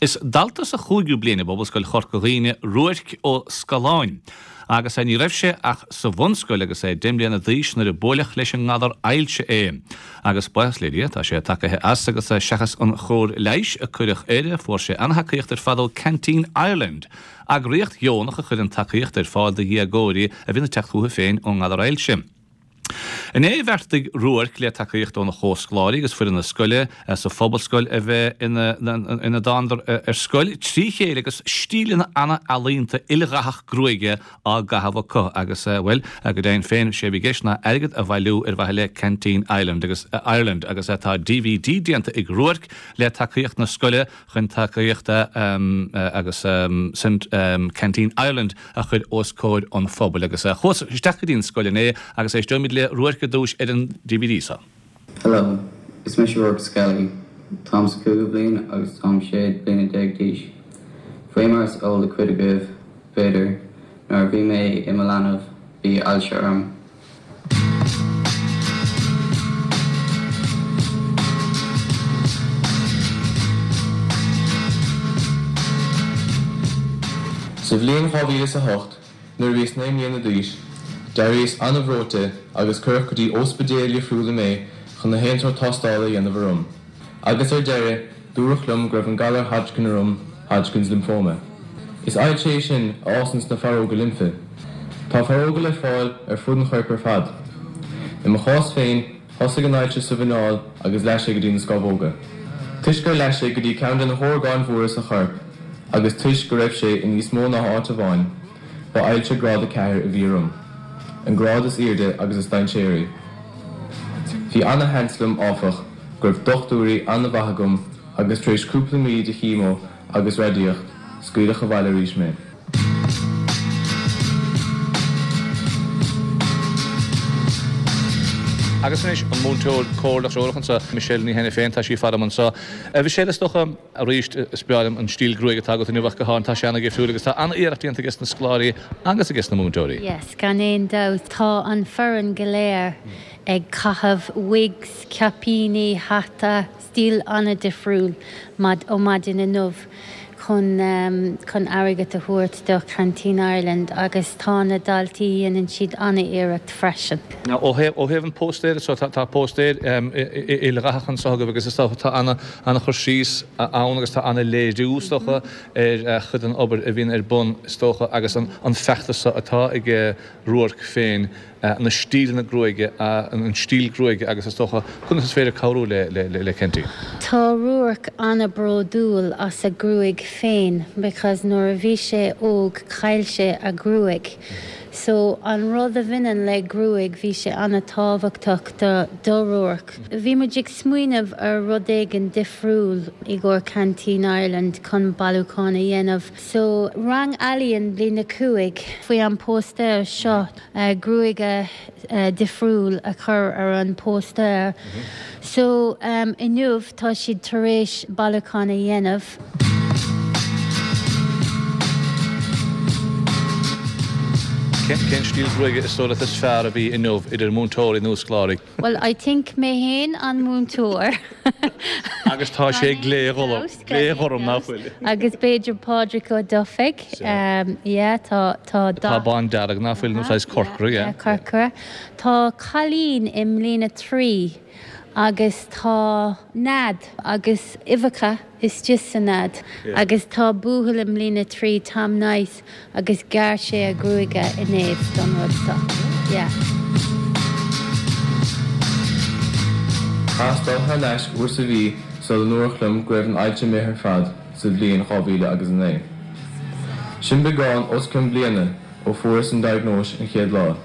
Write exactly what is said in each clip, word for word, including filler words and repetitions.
Is dalta sa chúigiú bliain i bPobalscoil Chorca Dhuibhne Ruairc Ó Scanláin. Agus ní raibh sé ach sa bhunscoil agus é deich mbliana d'aois nuair a buaileadh leis an ngalar ailse é. Agus buíochas le Dia tá sé tagaithe as agus seachas an chóir leighis a cuireadh air, fuair sé an-tacaíocht ar fad ó Canteen Ireland. Eagraíocht dheonach a chuireann tacaíocht ar fáil do dhéagóirí a bhíonn ag teacht chucu féin ón ngalar ailse. Inné bheartaigh Ruairc le tacaíocht óna chomhscoláirí agus foireann na scoile sa phobalscoil a bheith ina ina dtánadar ar scoil trí chéile agus stíleanna an-ealaíonta ildathach gruaige á gcaitheamh acu agus bhuel go deimhin féin sé a bhí i gceist ná airgead a bhailiú ar mhaithe le Canteen Island agus Ireland agus tá DVD déanta ag Ruairc le tacaíocht na scoile chun tacaíocht agus Canteen Ireland a chur os comhair an phobail agus chuas isteach go dtí an scoil inné agus éisteoimid le Ruairc ar dtús ar an DVD seo. Hello, is mise Ruairc Skelly. Táim sa cúigiú bliain agus táim sé bliana déag d'aois. Faoi mar is eol do chuid agaibh, b'fhéidir, nuair a bhí mé i mo leanbh, bhí ailse orm. Sa bhliain dhá mhíle is a hocht, nuair a bhíos naoi mbliana d'aois, d'éiríos an-bhreoite agus cuireadh go dtí óspidéal dhifriúla mé chun na haon sórt tástála a dhéanamh orm. Agus ar deireadh, dúradh liom go raibh an galar Hodgkin orm, Hodgkin's Lymphoma. Is ailse é sin a fhásann sna faireoga limfe. Tá faireoga le fáil ar fud an choirp ar fad. I mo chás féin, thosaigh an ailse sa mhuineál agus leath sé go dtí na scamhóga. Toisc gur leath sé go dtí ceann de na horgáin mhóra sa chorp agus toisc go raibh sé i níos mó ná áit amháin, ba ailse grád a ceathair a bhí orm, an grád is airde agus is dainséaraí. Bhí ana-sheans liom, áfach, go raibh dochtúirí ana-mhaith agam agus tar éis cúpla mí de chemo agus radaíocht, scaoileadh abhaile arís mé. Agus anois an múinteoir comhairleach treorach anseo, Michelle Ní Hainiféin, tá sí faram anseo. A Mhichelle, is dócha, arís, is breá liom an stíl gruaige atá agat inniu ach go háirithe, tá sé an-dhifriúil agus tá an-iarracht déanta aige na scoláirí agus aige na múinteoirí. Yes, gan aon dabht. Tá an foireann go léir ag caitheamh wigs, caipíní, hata, stíl an-difriúil ó maidin inniu chun chun airgead a thabhairt do Canteen Ireland agus tá na daltaí dhéanann siad an-iarracht freisin. Ó thaobh ó thaobh an póstaer so tá tá póstaer ildathach anseo agaibh agus is dócha tá ana ana-chur síos ann agus tá ana-léiriú is dócha ar chuid den obair a bhíonn ar bun is dócha agus an an feachtas seo atá ag Ruairc féin na stíleanna gruaige an stíl gruaige agus is dócha conas is féidir cabhrú le le le Canteen. Tá Ruairc an-bhródúil as a ghruaig féin because nuair a bhí sé óg chaill sé a ghruaig. So an rud a bhaineann le gruaig bhí sé an-tábhachtach do do Ruairc. Bhí muid ag smaoineamh ar rud éigin difriúil i gcomhair Canteen Ireland chun bailiúchán a dhéanamh. So rang ealaíon bliain a cúig faoi an póstaer seo gruaige difriúil a chur ar an póstaer. So um, inniu tá siad tar éis bailiúchán a dhéanamh. Cén stíl gruaige is dóigh leat is fearr a bhí inniu idir múinteoirí nó scoláirí? Well, I think mé féin an múinteoir. Agus tá sé glé-ghorm glé-ghorm nach bhfuil. Agus b'fhéidir Pádraig Ó Dufaigh. Um, yeah, tá tá Tá bándearg nach bhfuil nó saghas corcra, yeah. Corcra. Tá cailín i mbliain a trí agus tá nead agus uibheacha istigh sa nead. Agus tá buachaill i mbliain a trí Tom Nice agus ghearr sé a ghruaig inné don rud seo. Yeah. Chaitheas dul thar n-ais uair sa mhí sula ndúradh liom go raibh an ailse imithe ar fad sa bhliain dhá mhíle agus a naoi. Sin beagán os cionn bliana ó fuaireas an diagnóis an chéad lá.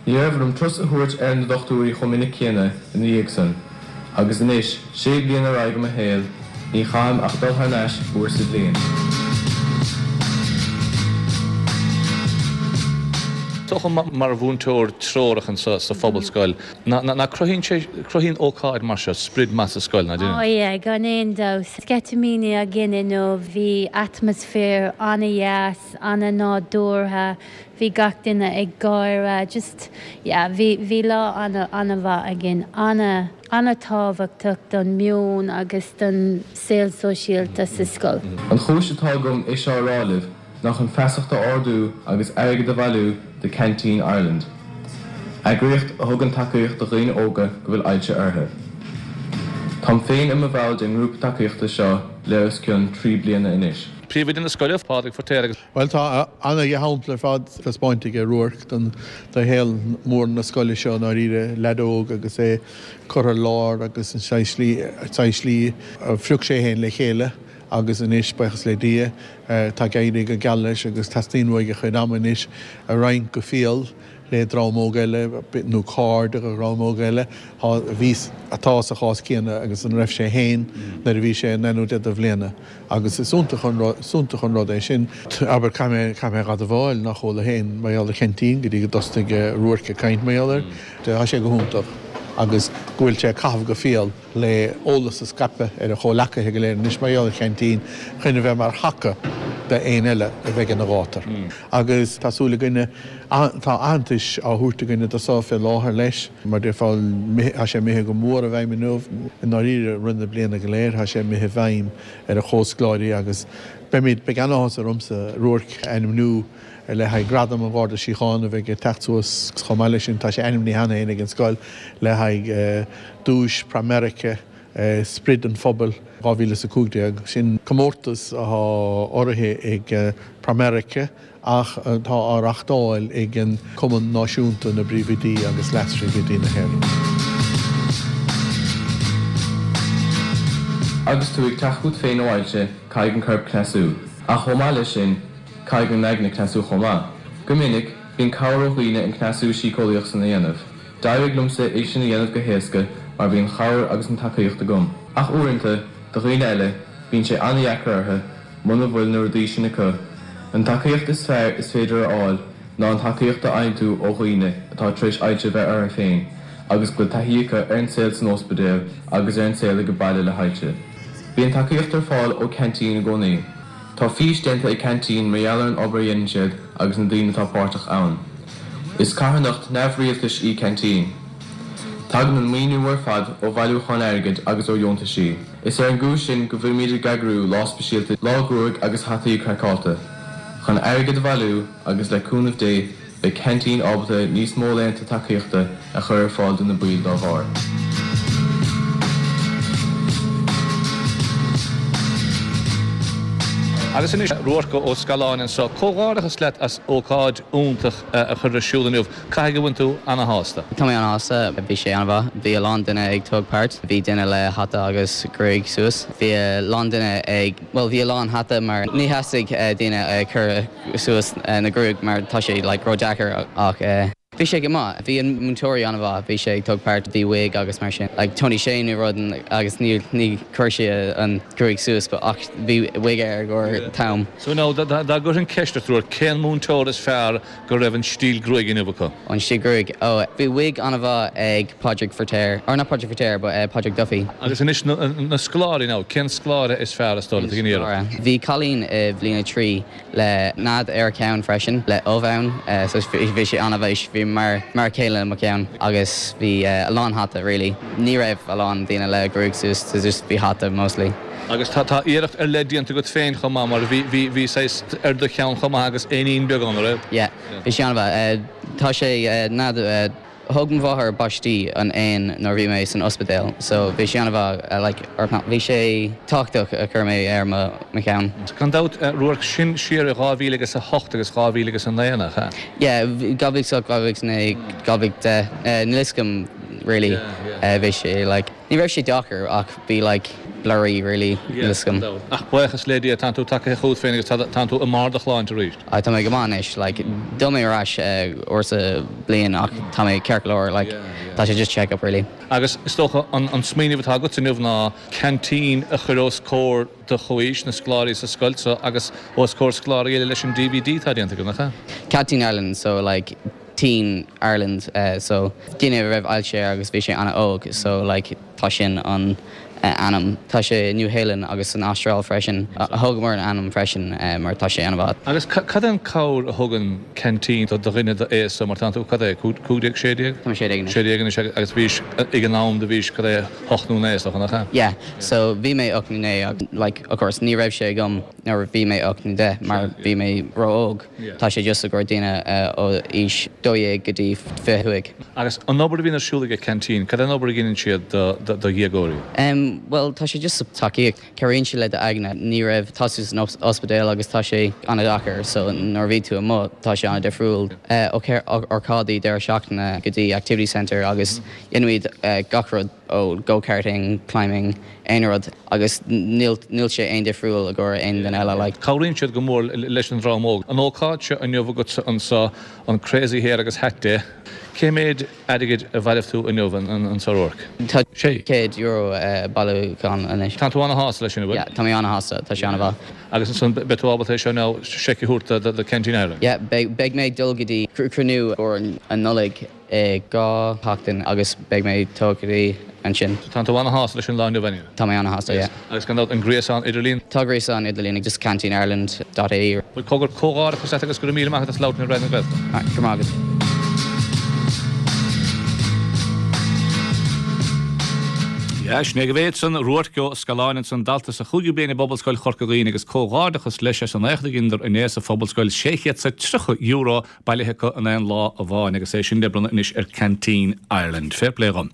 Ní raibh orm turas a thabhairt ar na dochtúirí chomh minic céanna ina dhiaidh san, agus anois, sé bliana ar aghaidh i mo shaol, ní chaithim ach dul thar n-ais uair sa bhliain. Is dócha mar mhúinteoir treorach anseo sa phobalscoil, nach cruthaíonn sé, cruthaíonn ócáid mar seo sprid maith sa scoil, nach Ó déanann? yeah, gan aon dabht. Sceitimíní againn inniu, bhí atmaisféar an-dheas, an-nádúrtha, bhí gach duine ag gáire, just, yeah, bhí bhí lá an- an-mhaith againn, ana an-tábhachtach don meon agus don saol sóisialta sa scoil. An chúis atá agam é seo a rá libh ná chun feasacht a ardú agus airgead a bhailiú do Canteen Ireland. Eagraíocht a thugann tacaíocht do dhaoine óga go bhfuil ailse orthu. Táim féin i mo bhall den ngrúpa tacaíochta seo le os cionn trí bliana anois. Príomhoide na scoile, Pádraig Feiritéar agus. Bhuel tá ana-shampla ar fad taispeáinte ag Ruairc don do shaol mór na scoile seo ndáiríre, leaid óg agus é curtha ar lár agus an saghas slí a phrioc sé féin le chéile agus anois, buíochas le Dia, tá ag éirí go geal leis agus teastaíonn uaidh a chuid ama anois a roinnt go fial le dream óg eile nó cairde de dhream óg eile a bhí, atá sa chás céanna agus ina raibh sé féin nuair a bhí sé naoi nó deich de bhliana agus is iontach an rud, is iontach an rud é sin. Abair, caithfidh mé, caithfidh mé a admháil nach chuala féin mar gheall ar Cheaintín go dtí go dtosaigh Ruairc ag caint mar gheall air. Tá sé go hiontach agus go bhfuil sé ag caitheamh go fial le eolas a scaipeadh ar a chomhleacaithe go léir anois mar gheall ar Cheaintín chun a bheith mar thaca d'aon eile a bheidh ina ghátar. Agus tá súil againne, tá aitheantas á thabhairt againne do so fé láthair leis, mar déarfá, tá sé imithe go mór i bhfeidhm inniu, i ndáiríre i rith na bliana go léir, tá sé imithe i bhfeidhm ar a chomhscoláirí agus beimid, beidh an-áthas ormsa Ruairc a ainmniú le haghaidh Gradam an Gharda Síochána a bheidh ag teacht suas. Chomh maith leis sin, tá sé ainmnithe cheana féin ag an scoil le haghaidh duais Pramerica Sprid an Phobail dhá mhíle is a cúig déag. Sin comórtas atá urraithe ag Pramerica ach atá á reachtáil ag an Cumann Náisiúnta na bPríomhoidí agus Leas-Phríomhoidí na hÉireann. Agus tú ag teacht chugat féin ó ailse, caithfidh an corp cneasú. Ach chomh maith leis sin, caithfidh an aigne cneasú chomh maith. Go minic, bíonn cabhair ó dhaoine an cneasú síceolaíoch san a dhéanamh. D'éirigh liomsa é sin a dhéanamh go héasca mar bhí an chabhair agus an tacaíocht agam. Ach uaireanta, do dhaoine eile, bíonn sé an-dheacair orthu muna bhfuil na rudaí sin acu. An tacaíocht is fearr is féidir a fháil ná an tacaíocht a fhaigheann tú ó dhaoine atá tar éis ailse a bheith orthu féin agus go bhfuil taithí acu ar an saol san ospidéal agus ar an saol ag baile le hailse. Bíonn tacaíocht ar fáil ó Ceaintín i gcónaí. Tá fís déanta ag Ceaintín mar gheall ar an obair a dhéanann siad agus na daoine atá páirteach ann. Is carthanacht neamhrialtais í Ceaintín. Tagann an maoiniú ar fad ó bhailiúcháin airgid agus ó dheontaisí. Is ar an gcúis sin go bhfuilimid ag eagrú lá speisialta Lá Gruaig agus Hataí Craiceáilte, chun airgead a bhailiú agus le cúnamh Dé beidh Ceaintín ábalta níos mó laethanta tacaíochta a chur ar fáil do na baill dá bharr. Agus anois Ruairc Ó Scanláin anseo. Comhghairdeachas leat as ócáid iontach a chur ar siúl inniu. Caithfidh go bhfuil tú ana-shásta? Tá mé ana-shásta. Bhí sé an-mhaith. Bhí a lán duine ag tóg páirt. Bhí duine le hata agus gruaig suas. Bhí a lán duine ag, bhuel bhí a lán hata mar ní theastaigh daoine ag cur suas na gruaig mar tá sé like ró-deacair ach bhí sé go maith. Bhí an múinteoirí an-mhaith. Bhí sé ag tóg páirt, bhí wig agus mar sin. Like Tony Shane nó rud agus ní ní chuir sé an gruaig suas but ach bhí wig air i gcomhair t-am. So now dá gcuirfinn ceist ort Ruairc, cén múinteoir is fearr go raibh an stíl gruaige inniu acu? An stíl gruaig? Oh bhí wig an-mhaith ag Pádraig Feiritéar, or not Pádraig Feiritéar but uh, Pádraig Duffy. Agus anois na, na scoláirí now, cén scoláire is fearr is dóigh leat ag an iarraidh? Bhí cailín i bhliain a trí le nead ar a ceann freisin, le ubh ann, so bhí sé an-mhaith, bhí mar mar a chéile mo cheann agus bhí a lán hata really. Ní raibh a lán daoine le gruaig suas, so just bhí hata mostly. Agus tá tá iarracht ar leith déanta agat féin chomh maith mar bhí bhí bhí saghas ar do cheann chomh maith agus éinín beag ann, an raibh? Yeah, bhí sé an-mhaith. Tá sé nead Thug mo mháthair baistí an éan nuair a bhí mé san ospidéal so bhí sé an-mhaith like or not bhí sé tábhachtach a chur mé ar mo mo cheann. Gan dabht Ruairc sin siar i dhá mhíle agus a hocht agus dhá mhíle agus a naoi nach ea? Yeah dhá mhíle is a hocht, dhá mhíle is a naoi, dhá mhíle is a deich níl fhios agam really bhí sé like ní raibh sé deacair ach bhí like blurry really níl fhios agam. Ach buíochas le Dia tánn tú tagaithe chugat féin agus tánn tú i mbarr do shláinte arís. Ah tá mé go maith anois like d'fhill mé ar ais uair sa bliain ach tá mé ceart go leor like tá sé just check up really. Agus is dócha an an smaoineamh atá agat inniu ná ceaintín a chur os comhair do chomhaois na scoláirí sa scoil seo agus os comhair scoláirí eile leis an DVD atá déanta agat, nach ea? Canteen Ireland so like Teen Ireland so duine a raibh ailse air agus bhí sé an-óg so like tá sin an ainm. Tá sé New Zealand agus san Astráil freisin a thugamar an ainm freisin mar tá sé an-mhaith. Agus cad an cabhair a thugann Canteen do dhuine d'aois mar tá tú cad é cúig déag sé déag? Tá sé déag sé déag agus bhís ag an am do bhís cad é hocht nó naoi nach ea? Yeah, so bhí mé ocht nó naoi like of course ní raibh sé agam nuair bhí mé ocht nó deich mar bhí mé ró-óg. Tá sé just gur daoine ó aois dó dhéag go dtí fiche cúig. Agus an obair a bhíonn ar siúl ag Canteen, cad an obair a dhéanann siad do dhéagóirí? Um, well tá sé just tacaíocht cabhraíonn sé le d'aigne ní raibh tá tú san ospidéal agus tá sé an-deacair so nuair bhí tú amuigh tá sé an-difriúil ócáidí deireadh seachtaine go dtí activity center agus déanaimid uh, gach rud ó go-karting, climbing, aon rud agus níl sé aon difriúil a go aon duine eile like. Cabhraíonn siad go mór leis an dream óg. An ócáid seo inniu agat anseo an Crazy Hair agus Hat Day. Cé méid airgid a bhailigh tú inniu anseo a Ruairc? Tá sé céad euro bailithe anois. Tá tú an-shásta leis sin bhfuil? Tá mé an-shásta tá sé an-mhaith. Agus ansan beidh tú ábalta seo ná seic a thabhairt do Canteen Ireland. Yeah, beidh mé dul go dtí cruinniú an Nollaig i dhá sheachtain agus beidh mé tógaí ansin. Tá tú an-shásta leis an lá inniu. Tá mé an-shásta yeah. Agus gan an gréasán idirlín? Tá gréasán idirlín ag just canteenIreland.ie. Cogar comhghairdeachas agus go raibh míle maith agat as labhairt le Raidió na Gaeltachta. Go maith. Ja, sin é go bhéad san Ruairc Ó Scanláin ansan dalta sa chúigiú bliain i bPobalscoil Chorca Dhuibhne agus comhghairdeachas leis as an éacht a dheineadar inné sa Phobalscoil sé chéad is tríocha euro bailithe acu in aon lá amháin agus é sin le bronnadh anois ar Canteen Ireland. Fair play dhom.